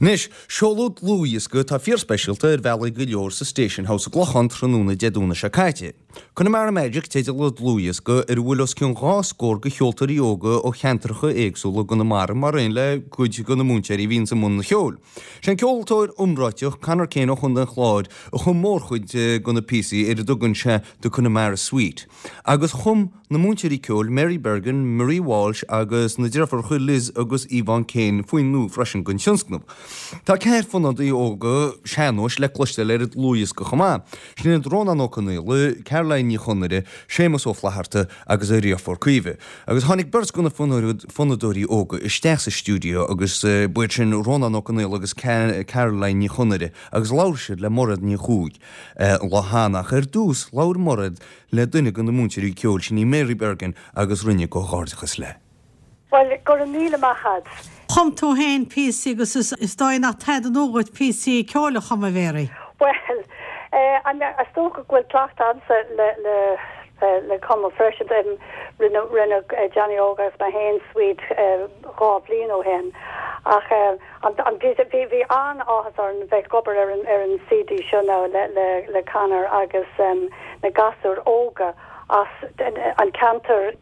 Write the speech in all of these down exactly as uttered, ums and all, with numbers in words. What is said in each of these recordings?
Anois, seoladh dlúthdhiosca atá fíorspeisialta ar bhealaí go leor sa Station House i gClochán tráthnóna Dé Domhnaigh seo caite. Connemara Magic teideal an dlúthdhiosca ar a bhfuil os cionn dhá scór de cheoltóirí óga ó cheantracha éagsúla i gConamara mar aon le cuid de na múinteoirí a bhíonns i mbun an cheoil. Sé an ceoltóir iomráiteach Conor Kane ó Chontae an Chláir a chum mórchuid de na píosaí ar a dtugann sé The Connemara Suite. Agus chum na múinteoirí ceoil Mary Bergin, Marie Walsh agus na deirfiúracha Liz agus Yvonne Kane foinn nua freisin don tionscnamh. Tá ceathrar fonnadóirí óga sean-nóis le cloisteáil ar an dlúthdhiosca chomh maith. Sin iad Rónán Ó Conaola, Caroline Ní Chonaire, Séamus Ó Flatharta agus a dheirfiúr Caoimhe. Agus tháinig beirt de na fonnadóirí óga isteach sa stiúideo agus b'iad sin Rónán Ó Conaola agus Caroline Ní Chonaire agus labhair siad le Mairéad Ní Chuaig an lá cheana ach ar dtús labhair Mairéad le duine de na múinteoirí ceoil sin í Mary Bergin agus rinne comhghairdeachas léi. Well go raibh míle maith agat. Chum tú féin píosaí agus is dóigh nach tada nua dhuit píosaí ceoil a chumadh a Mhary. Well eh, is dócha go bhfuil cleachtadh agamsa le le le cumadh freisin rinne rinne Johnny Óg agus mé féin suite dhá bhliain ó shin ach an bhí bhí an-áthas orm bheith ag obair ar an ar an CD seo now le le le Conor agus um, na gasúir óga as an ceantar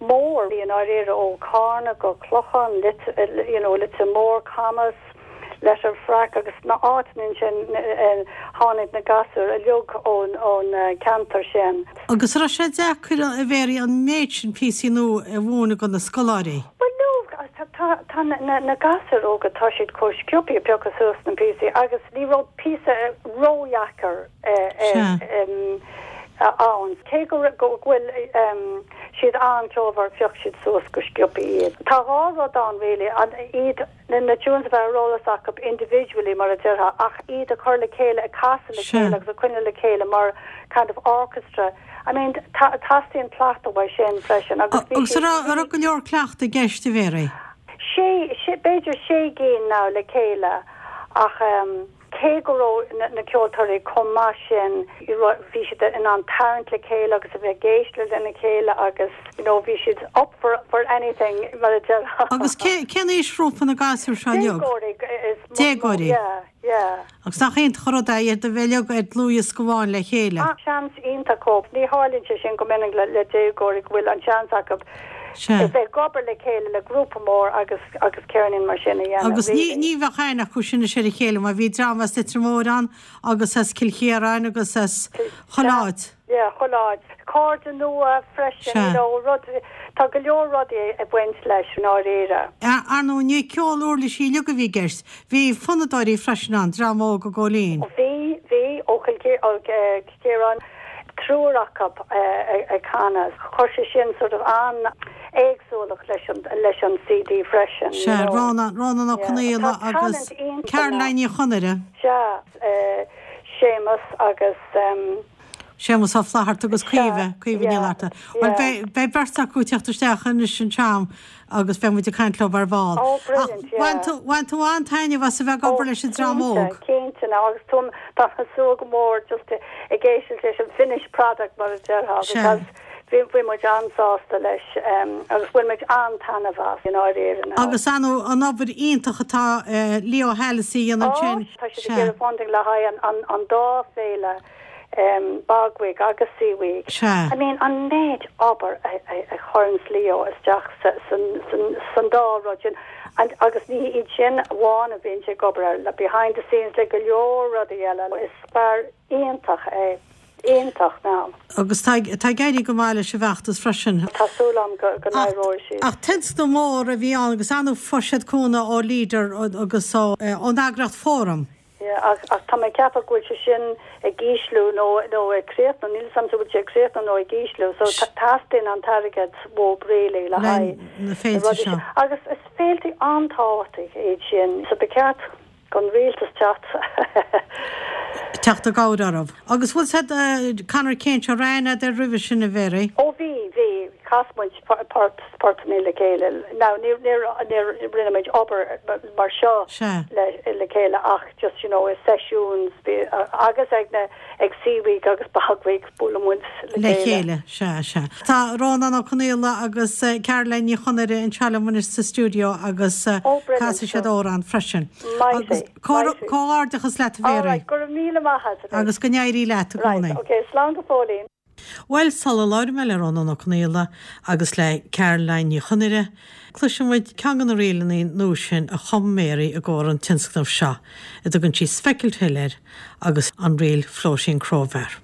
mór i ndáiríre ó Carna go Clochán you know, Leitir Móir Camas Letterfrack agus na áiteanna sin tháinig na gasúir uilig ón ón ceantar sin. Agus raibh sé deacair a Mhary an méid sin píosaí nua a mhúineadh do na scoláirí. Well no tá na, na gasúir óga tá siad chomh sciobtha piocadh suas na píosaí agus ní raibh píosa ródheacair ann. Cé go go bhfuil um, siad an-cheolmhar phioc siad suas go sciobtha iad. Tá dhá rud ann really an iad na na tunes bheith ar eolas acu individually mar a déarfá ach iad a chur le chéile a casadh le chéile agus a choinneáil le chéile mar kind of orchestra. I mean teastaíonn cleachtadh uaidh sin freisin agus Agus raibh go leor cleachtadh i gceist a Mhary. sé sé b'fhéidir sé gcinn now le chéile ach um, cé go raibh na, na ceoltóirí chomh maith sin bhí siad in ann tarraingt le chéile agus a bheith ag éisteacht lena chéile agus you know bhí siad up for for anything mar a déarfá. Agus cén aoisghrúpa na gasúir seo uilig? Déagóirí is Déagóirí. Yeah, yeah. Agus nach iontach an rud é iad a bheith uilig ar dlúthdhiosca amháin le chéile. Ah, seans iontach dóibh. Ní tharlaíonn sé sin go minic le, le déagóirí go bhfuil an seans acu Sea. bheith ag obair le chéile le grúpa mór agus agus ceirnín mar sin a dhéanamh. Agus ní ní bheadh aithne acu sin ar a chéile mar bhí dream as Leitir Móir ann agus as Cill Chiaráin agus as chuile áit. Yeah, chuile áit. Cairde nua freisin, Sea. you know, rud tá go leor rudaí ag baint leis an áiríre. Ar ndóigh ní ceol uirlisí uilig a bhí i gceist, bhí fonnadóirí freisin ann dream óg ó Góilín. Bhí bhí ó Chiaráin triúr acu ag canadh. Chuir sé sin sort of an éagsúlacht leis an leis an CD freisin. Se Rónán Rónán Ó Conaola agus Caroline Ní Chonaire. Se Séamus agus um, Séamus Ó Flatharta agus Caoimhe Caoimhe Ní Fhlatharta. Well beidh beirt acu ag teacht isteach anois an tseam agus beidh muid ag caint leo ar ball. Oh, brilliant, yeah. Bhain tú an-taitneamh as a bheith ag obair leis an dream óg. Cinnte now agus tú tá súil go mór just ag éisteacht leis an finished product mar a déarfá because bhí bhí muid an-sásta leis um, agus bhain muid an-taitneamh as in áiríre now. Agus an an obair iontach atá uh, Leo Halsey an sin. Tá siad ag iarraidh funding le haghaidh an, an, an dá féile um, Bog Week agus Sea Week. Se. I mean an méid obair a, a, a chuireann Leo isteach sa, san, san, san dá rud sin. And, agus ní iad sin amháin a bhíonn sé ag obair ar le behind the scenes le go leor rudaí eile is fear iontach é iontach now. Agus tá tá ag éirí go maith leis an bhfeachtas freisin. Tá súil agam go go n-éireoidh siad. Ach tionscnamh mór a bhí ann agus anú fuisead cúnamh ó Leader agus ó ón eagraíocht Fóram. Yeah, ach, ach tá mé ag ceapadh go bhfuil sé sin ag ísliú nó nó ag críochnú níl sam bhfuil sé ag críochnú nó ag ísliú, so teastaíonn an t-airgead ó really le haghaidh na féilte seo. Agus is féilte an-tábhachtach iad sin, so ba cheart don rialtas teacht. Teacht i gcabhair orthu. Agus bhfuil said Conor Kane seo rann ar roimhe sin a Mhary? Ó bhí bhí chas muid port portanna le chéile. Now níor níor níor rinne muid obair mar seo le le chéile ach just you know sessions agus ag na ag Sea Week agus Bog Week buaileann muid le chéile. Sea sea. Tá Rónán Ó Conaola agus eh, Caroline Ní Chonaire anseo liom anois sa stiúideo agus eh, Oh, brilliant, casfaidh siad amhrán freisin. Maith Comhghairdeachas leat Mary. Go raibh míle maith Agus go n-éirí leat i gcónaí. Ok, slán go fóillín. Bhuel sula labhraíonn mé le Rónán Ó Conaola agus le Caroline Ní Chonaire, cloisfidh muid ceann de na ríleanna nua sin a chum Mary i gcomhair an tionscnamh seo, a dtugann sí Speckled Hill air agus an ríl Floating Crowbar.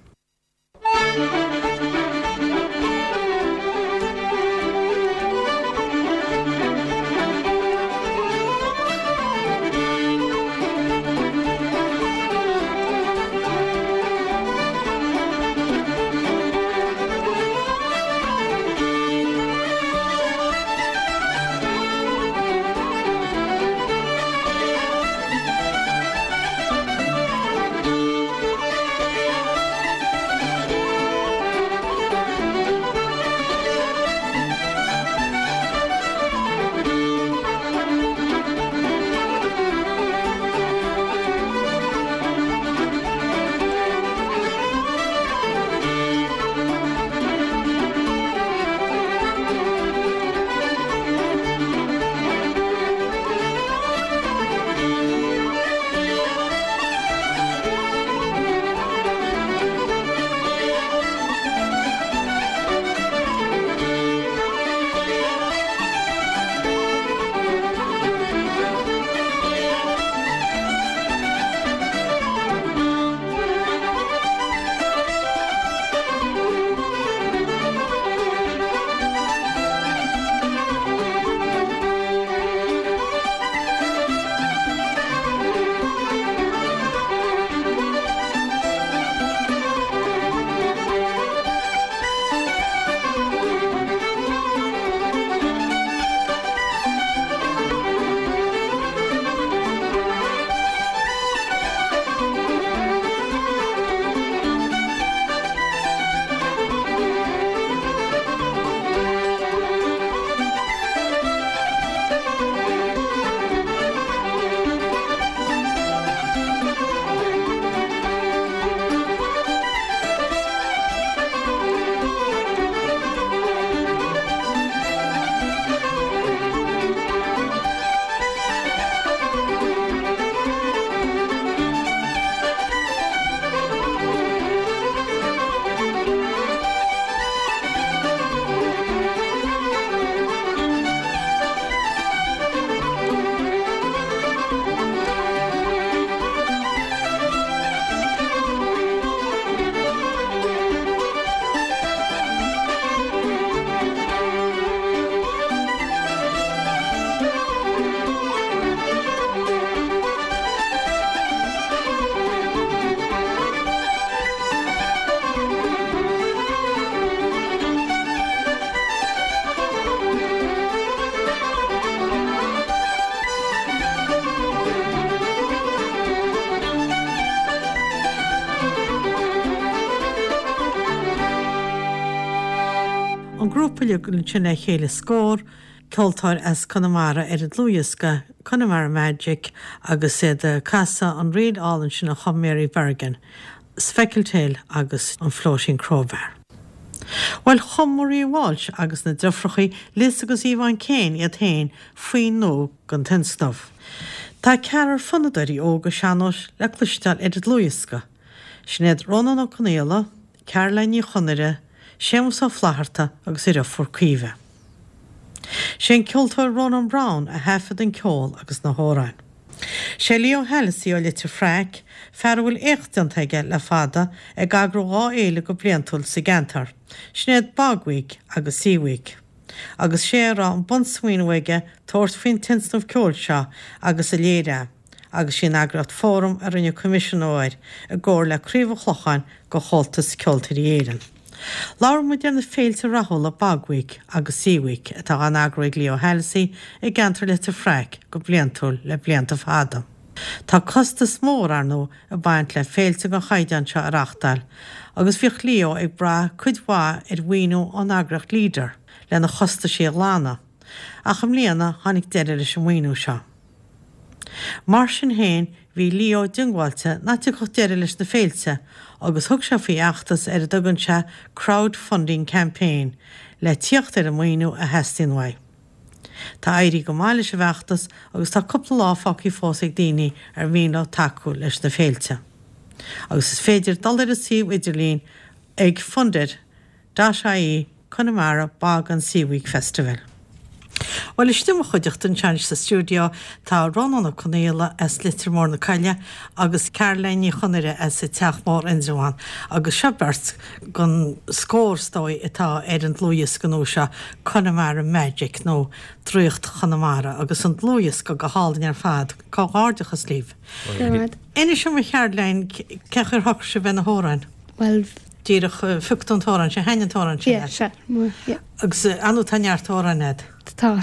An grúpa sin le chéile scór, ceoltóir as Conamara ar an dlúthdhiosca, Connemara Magic agus iad ag casadh an ríl álainn sin a chum Mary Bergin, Speckled Hill agus an Floating Crowbar. Bhuel chum Maria Walsh agus na deirfiúracha Liz agus Yvonne Kane iad féin foinn nua don tionscnamh. Tá ceathrar fonnadóirí óga sean-nóis le cloisteáil ar an dlúthdhiosca. Sin iad Rónán Ó Conaola, Caroline Ní Chonaire, Séamus Ó Flatharta agus a dheirfiúr Caoimhe. Sé an ceoltóir Ronan Browne a thaifead an ceol agus na hamhráin. Sé Leo Hallissey ó Leitir Fraic, fear a bhfuil éacht déanta aige le fada ag eagrú dhá fhéile go bliantúil sa gceantar, sin iad Bog Week agus Sea Week. Agus sé a raibh an bunsmaoineamh aige tabhairt faoin tionscnamh ceoil seo agus a léiriú, agus sí an eagraíocht Fóram a rinne coimisiúnú air i gcomhar le Craobh an Chlocháin de Chomhaltas Ceoltóirí Éireann. Labhair muid ar na féilte rathúla Bog Week agus Sea Week atá á n-eagrú ag Leo Hallissey i gceantar Leitir Fraic go bliantúil le blianta fada. Tá costas mór ar ndóigh ag baint le féilte den chaighdeán seo a reáchtáil, agus bhíodh Leo ag brath cuid mhaith ar mhaoiniú ón eagraíocht Leader lena chostaisí a ghlanadh. Ach i mbliana tháinig deireadh leis an maoiniú seo. Mar sin féin bhí Leo diongbháilte nach dtiocfadh deireadh leis na féilte agus thug sé faoi fheachtas ar a dtugann sé crowdfunding campaign le tíocht ar an maoiniú a theastaíonn uaidh. Tá éirithe go maith leis an bhfeachtas agus tá cúpla lá fágtha fós ag daoine ar mhian leo tacú leis na féilte. Agus is féidir dul ar an suíomh idirlín ag funded dot ie Connemara Bog and Sea Week Festival. Well istigh i mo chuideachta anseo sa stiúideo tá Rónán Ó Conaola as Leitir Móir na Coille agus Caroline Ní Chonaire as an Teach Mór Indreabhán agus seo beirt den scór is dóigh atá ar an dlúthdhiosca nua seo Connemara Magic nó Draíocht Chonamara agus an dlúthdhiosca go hálainn ar fad comhghairdeachas libh. Inis dom a Charoline cén chaoi ar shocraigh sibh ar na hamhráin. Well Díreach phioc tú an t-amhrán sin thaitin an t-amhrán sin yeah, sea, mór, yeah. Agus ar ndóigh tá neart amhrán agat. Tá.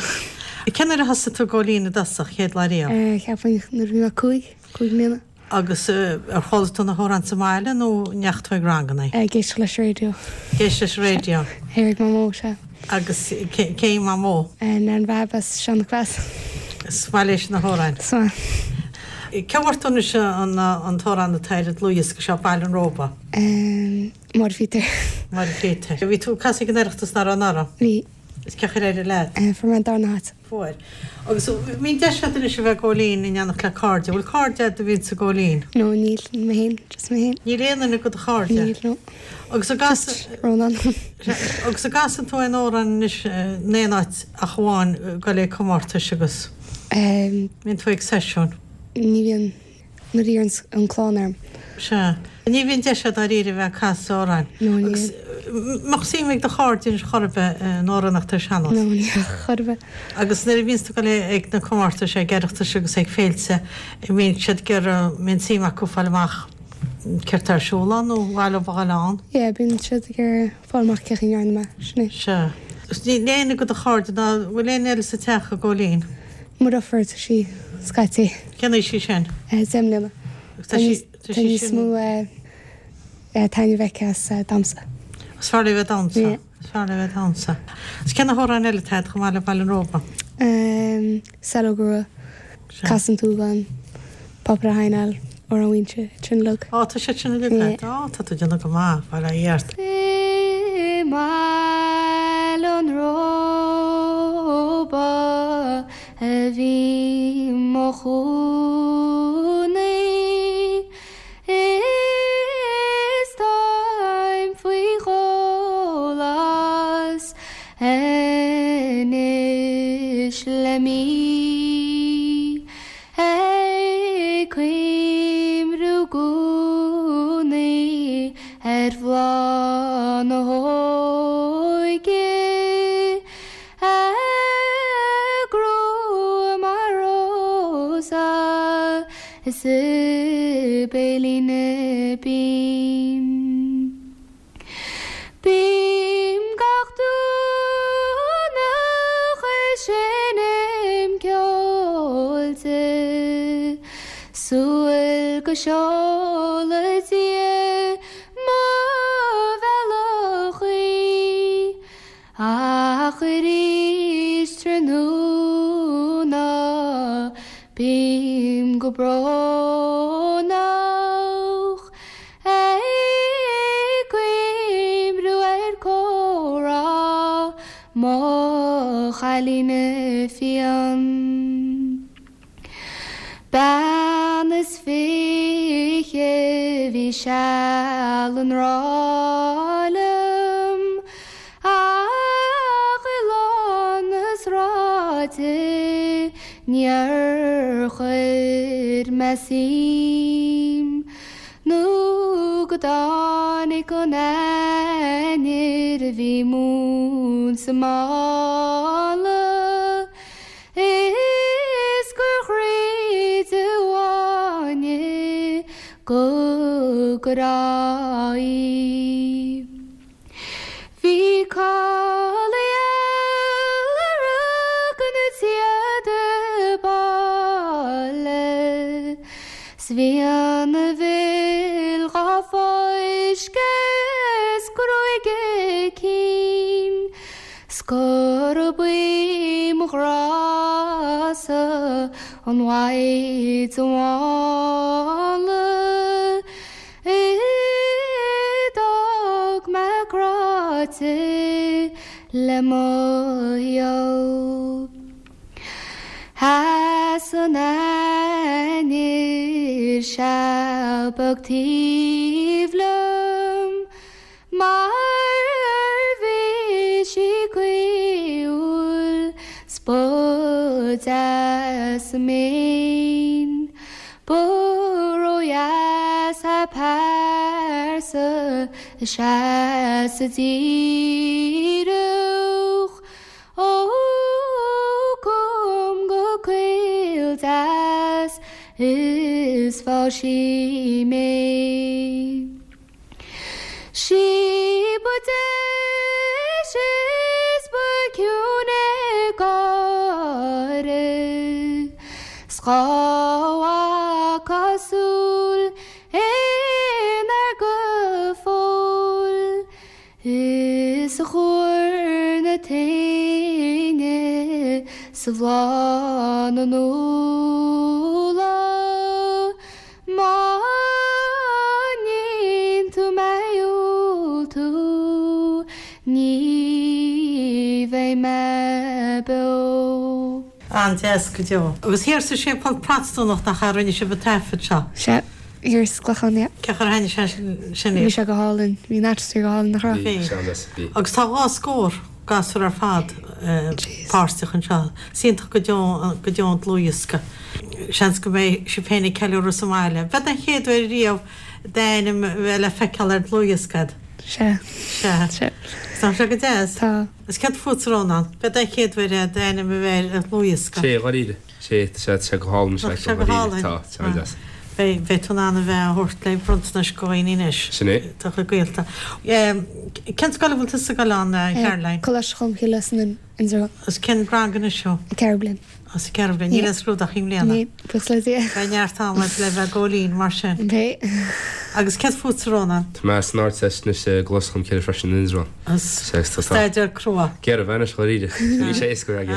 Cén uair a thosaigh tú ag gabháil fhoinn i dtosach chéad lá riamh? Uh, Cheapfainn nuair a bhí mé cúig, cúig mbliana. Agus ar chuala tú na hamhráin sa mbaile nó an ndeachaigh tú ag ranganna? Ag éisteacht leis an raidió. Ag éisteacht leis an raidió. Ag Mamó sea. Agus cé hí Mamó? Nan Bhab as Sean-Chlas. Is maith léi na hamhráin. Is maith. Cé bhfuair tú anois an an t-amhrán atá ar an dlúthdhiosca seo Baile an Róba? Um, Máire Phíotair. Máire Phíotair. Bhí tú ag casadh ag an Oireachtas nach raibh anuraidh? Bhí. Is cén chaoi ar éirigh leat? Uh, fuair mé an darna háit. Fuair. Agus bíonn deis agat anois a bheith ag gabháil fhoinn in éineacht le cairde. Bhfuil cairde agat a bhíonn ag gabháil fhoinn? No, níl mé féin, just mé féin. Níl aon duine de do chairde? Níl, no. Agus an gcas Just Rónán. agus an gcasann tú aon amhrán anois in aon áit ach amháin go le comórtais agus Um, bíonn tú ag seisiún. ní bhíonn nuair a iarrann an clann orm. Sea. Ní bhíonn deis agat dáiríre a bheith ag casadh amhráin. No, ní Agus mbeadh suim ag do chairde anois chor ar bith in amhránaíocht ar sean-nós. No, ní chor ar bith. Agus nuair a bhíonn tú ag dul ag na comórtais ag Oireachtais agus ag féilte, bíonn siad ag iarraidh mbíonn suim acu fáil amach céard atá ar siúl ann nó bhaile bhaile ann. Yeah, bíonn siad ag iarraidh fáil amach cén chaoi a ndearna mé, sin é. Sea. Níl aon de do chairde ná bhfuil aon eile sa teach ag gabháil fhoinn. Mo dheirfiúr tá sí scaití. Cén aois í sin? Eh, deich mbliana. Agus tá sí tá Tá sí níos sin mó eh, eh, taitneamh aici as eh, damhsa. Is fearr léi bheith damhsa. Yeah. Is fearr léi bheith damhsa. Is cén t-amhrán eile atá chomh maith le Baile an Róba? Um, Saileog Rua, Casann tú gan Pápa Haineil or an Winse sin lug. Á tá sé sin le Á tá tú déanamh go maith bail ó Dhia ort. I mBaile an Róba a bhí mo chónaí Is táim faoi dhul as anois le mí Ag cuimhniú i gcónaí ar bhláth na hóige A grua mar rósa is i béilín binn. Bím gach Domhnach ag seinm ceoil di, Súil go seola Dia mo bhealach í, Ach arís tráthnóna bím go brónach Ag cuimhniú ar chomhrá mo chailín fiáin. Bean is fiche bhí seal i ngrá liom, Ach i lán na sráide níor chuir mé suim, Nó go dtáinig an Eanáir a bhí mún sa mála, Is gur dhruid an fháinne go grá í. Bhí cailleadh a rug na tíada baile, 'S bhí ana mhil dhá fáisceadh 's gruaig a cinn, 's go ghrása an mhaighdean mhála d'fhág mé gráite le mo shaol. Sheas an ainnir seal beag taobh liom mar bhí sí caoithiúil 's ba deas a mien. Ba ródheas a pearsa a sheas a díreach ó cum go caol deas is fá sí mé. Sí ba deis is ba ciúine gáire, 's dhá cosúil inar go fóill, is a chuir na téine sa bhláth na núla. Má níonn tú mé tú, ní bheidh mé beo. An-deas go deo. Agus thiar sa séipéal Protastúnach nach ea a rinne sibh an taifead seo? Sea, thiar sa gClochán, yeah. Cén chaoi ar thaitnigh sé sin Bhí sé go hálainn, bhí an atmaisféar go hálainn, nach raibh? Bhí. Bhí. Agus tá dhá scór gasúr ar fad páirteach anseo. Is iontach go deo go deo an dlúthdhiosca. Seans go mbeidh sibh féin ag ceiliúradh sa mbaile. B'é an chéad uair riamh d'ainm bheith le feiceáil ar dlúthdhiosca agat. Sea. Sea. Sea. Tá sé go deas. Tá. Is céard fútsa Rónán, b'é an chéad uair é d'ainm a bheith ar dlúthdhiosca. Sé, dháiríre. Sé, tá sé, tá sé go hálainn, Tá sé go hálainn. Tá, tá sé deas. Beidh, beidh tú in ann a bheith á thabhairt le bronntanais go dhaoine anois. Sin é. Tá chuid gaolta. Cén scoil a bhfuil tusa ag dul ann, Caroline? Coláiste Cholmcille san Indreabhán. Is cén rang anois thú? Ceathrú bliain. As an ceathrú bliain. Níl aon scrúdú i mbliana? Níl, buíochas le Dia. Beidh neart ama le bheith ag Góilín mar sin. Beidh. Agus céard fútsa Rónán? Tá mé san Ardteist anois i gColáiste Cholmcille freisin in Indreabhán. Staidéar crua. Géar a bheith anois, dháiríre. Ní sé éasca aige.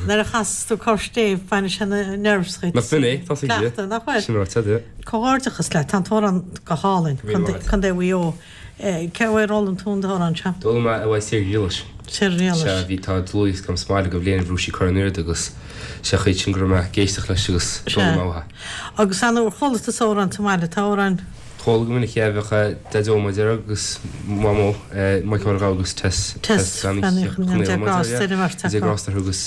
Nuair a chasas tú cor stéibh, baineann sé na nerves dhuit. Nach b'in é, tá sé Cleachtadh, nach bhfuil? Sin ráite, yeah. Comhghairdeachas leat, tá an t-amhrán go hálainn, Míle maith. Contae Mhaigh Eo. Cé uaidh ar fhoghlaim tú an t-amhrán seo? D'fhoghlaim mé uaidh Sarah Ghriallais. Sarah Ghriallais. Sea, bhí tá dlúthdhiosca agam sa mbaile go bhliain a bhrú sí cur in airde agus sé chuid sin go raibh mé ag éisteacht leis agus d'fhoghlaim mé uaithi. Agus an uair chuala tú amhrán sa mbaile, tá amhrán? Chuala go minic é, bheadh Daideo mar a déarfá agus Mamó, Michael Mhac agus Tess. Tess Bean Uí Chonaill, Dé grásta ar an mbeirt acu. Dé grásta orthu agus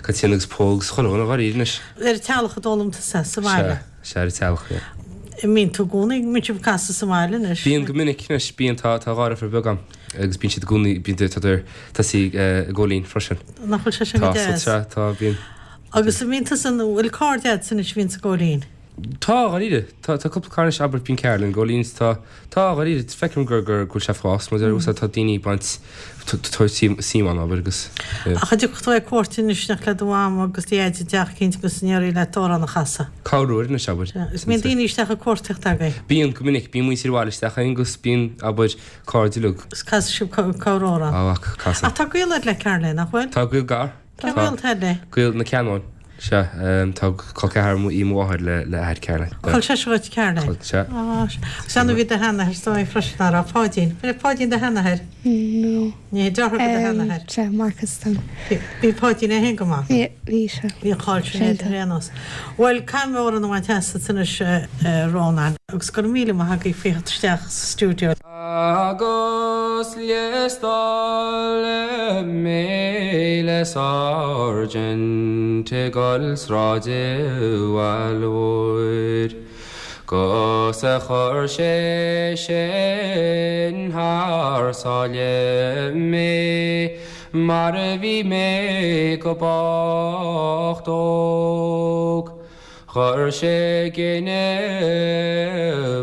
Caitríona agus Pól agus chuile dhuine dháiríre anois. Ar an teallach a d'fhoghlaim tusa sa bhaile? Sea, sea ar an teallach, yeah. Mbíonn tú i gcónaí, mbíonn sibh ag casadh sa mbaile anois? Bíonn go minic anois, bíonn, tá tá dhá dheirfiúr beag agam agus bíonn siad i gcónaí, bíonn tá tá sí i gCóilín freisin. Nach bhfuil sé sin go Tá, deas? so, tá, bíonn. Agus an mbíonn tusa, an bhfuil cairde agat anois a bhíonn sa gCóilín? Tá, dháiríre. Tá tá cúpla cara anois, abair, bíonn Carolyn i gCóilín, tá, tá, dháiríre, feicim gur gur go bhfuil sé ag fás, mar mm. tá daoine ag baint tabhairt suim ann, abair, agus. Ach an dtiocfaidh tú ag cuairt anois nach le do mham agus do dhaid i dteach eicínt agus an éirí leat amhrán a chasadh? Corruair anois, abair. Is mbíonn daoine isteach ag cuartaíocht agaibh? Bíonn, go minic, bíonn muintir an bhaile isteach againn agus bíonn, abair, cairde uilig. Is casadh sibh corr-amhrán? Á, casann. Ach tá gaol agat le Caroline, nach bhfuil? Tá gaol gar. Cén gaol atá agat léi? Gaol na Ceannóin. Sea, tá col ceathar í mo mháthair le le athair Caroline. Chol seisear dhuit Caroline? Chol, sea. Á, sea. Agus an bhí do sheanathair is dóigh freisin, nach raibh? Páidín. Bhí Páidín do sheanathair? No. Ní, deartháir do sheanathair? Sea, Marcus Tom. Bhí Páidín é féin go maith? Bhí, bhí sé. Bhí an cháil sin air ar aon nós. Bhuel, caithfidh mé amhrán a bhaint asat anois, a Rónáin, agus go raibh míle maith agaibh faoi theacht isteach sa stiúideo. Agus liostáladh mé le sáirsint ag dul sráid Bhaile Mhóir. Gus a chuir sé sin thar sáile mé, mar a bhí mé go bocht óg. Chuir sé gine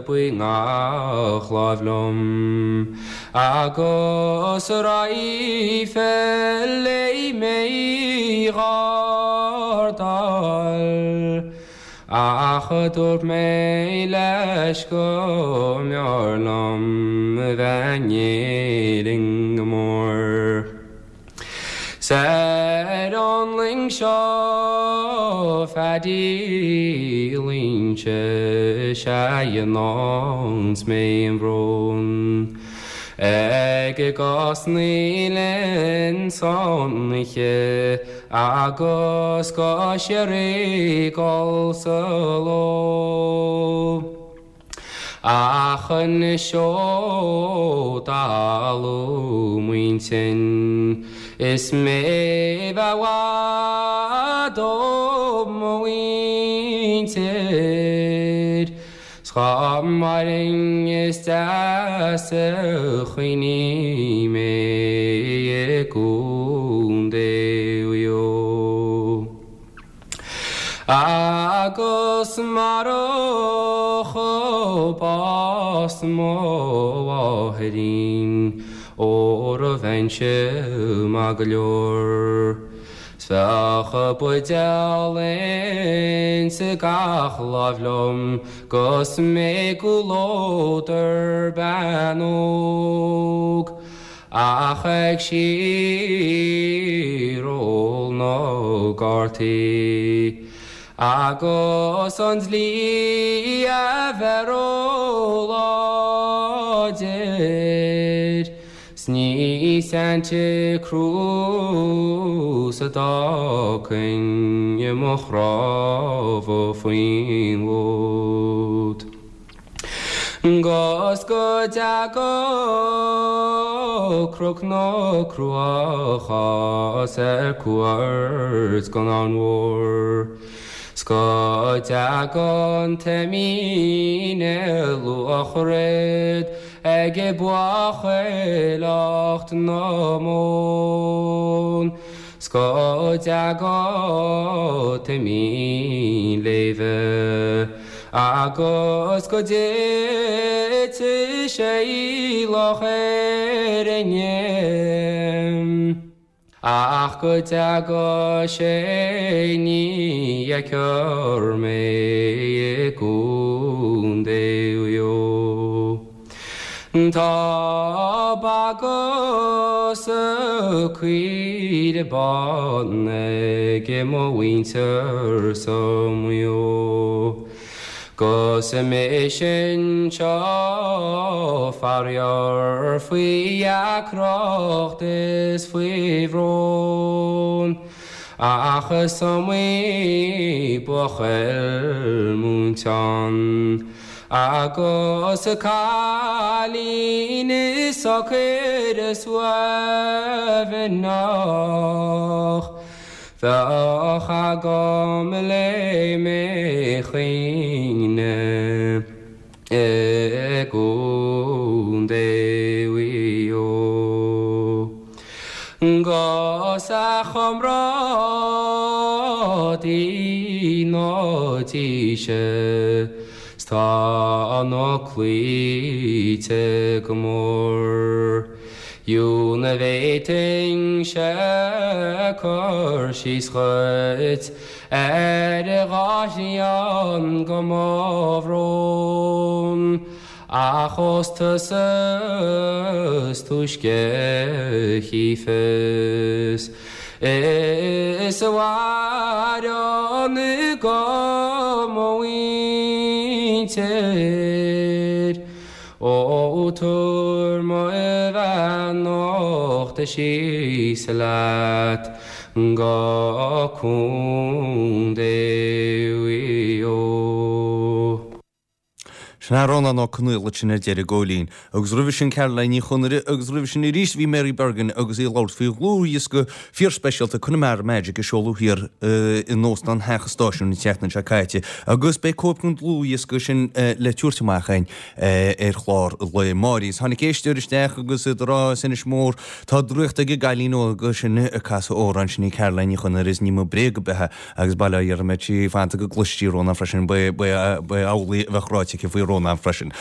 buí ngach láimh liom, agus raidhfil léi mé ghardáil. Ach dúirt mé leis go mb'fhearr liom a bheith in Éirinn go mór. Ar an luing Seo Phaddy Lynch sé dhéananns mé an brón. Ag gás ní linn sonniche agus go sé gáil sa ló. Achan seo dalú muintin is mé bhhaid ó muintir. Scha maring is deas a chuoine mé Contae Mhaigh Eo. Agus maroch bás mo mháithrín ór a bheinnse maith go leor. 'S bheadh buidéal insa gach láimh liom 'gus mé i gcomhluadar bean óg. Ach ag síor-ól na gcártaí agus an dlí a bheith ró-láidir. 'S ní Santa Cruz a d'fhágfainn i mo chnámha faoin bhfód. 'Gus go dteaga Cnoc na Cruach as ar cuairt gon Abhainn Mhór. 'S go dteaga an t-imín ar luaithrid ag buachailleacht na mbó. 'S go dteaga an t-imín léibhe agus go dtite sé i Loch Éirne. Ach go dteaga sé ní fheicfear mé i gContae Mhaigh Eo. Tá ba agus caoire bán ag mo mhuintir sa Mhaigh Eo. 'Gus mise anseo faraor faoi dheacracht is faoi bhrón. Ach is iomaí buachaill múinte ann agus cailín is socair is uaimhneach. Bheadh agam le mé chaoineadh i gContae Mhaigh Eo. 'Gus a chomrádaí na díse 's tá na cloíte go mór. Fiú na bhféadfainnse cur síos dhuit ar dhá thrian go mo bhrón. Ach ós tusa is túisce a chífeas is a mhaireann go mo mhuintir. Ó tabhair mo bheannacht síos leat go Contae Mhaigh Eo. Sin é Rónán Ó Conghaile sin ar deireadh Góilín, agus roimhe sin Caroline Ní Chonaire agus roimhe sin arís bhí Mary Bergin agus í ag labhairt faoi dhlúthdhiosca fíorspeisialta Connemara Magic a seoladh thiar in Óstán Theach an Stáisiúin an tseachtain seo caite agus beidh cóip den dlúthdhiosca sin le tabhairt amach againn ar chlár lae amárach. Tháinig éisteoir isteach agus iad ag rá as Inis Mór tá draíocht ag an gcailín óg sin ag casadh amhrán sin í Caroline Ní Chonaire is ní mó bréag ar bith é agus bail ó Dhia uirthi fanta go gcloistí Rónán freisin ba amhlaidh a bheadh ráite aici faoi Rónán freisin.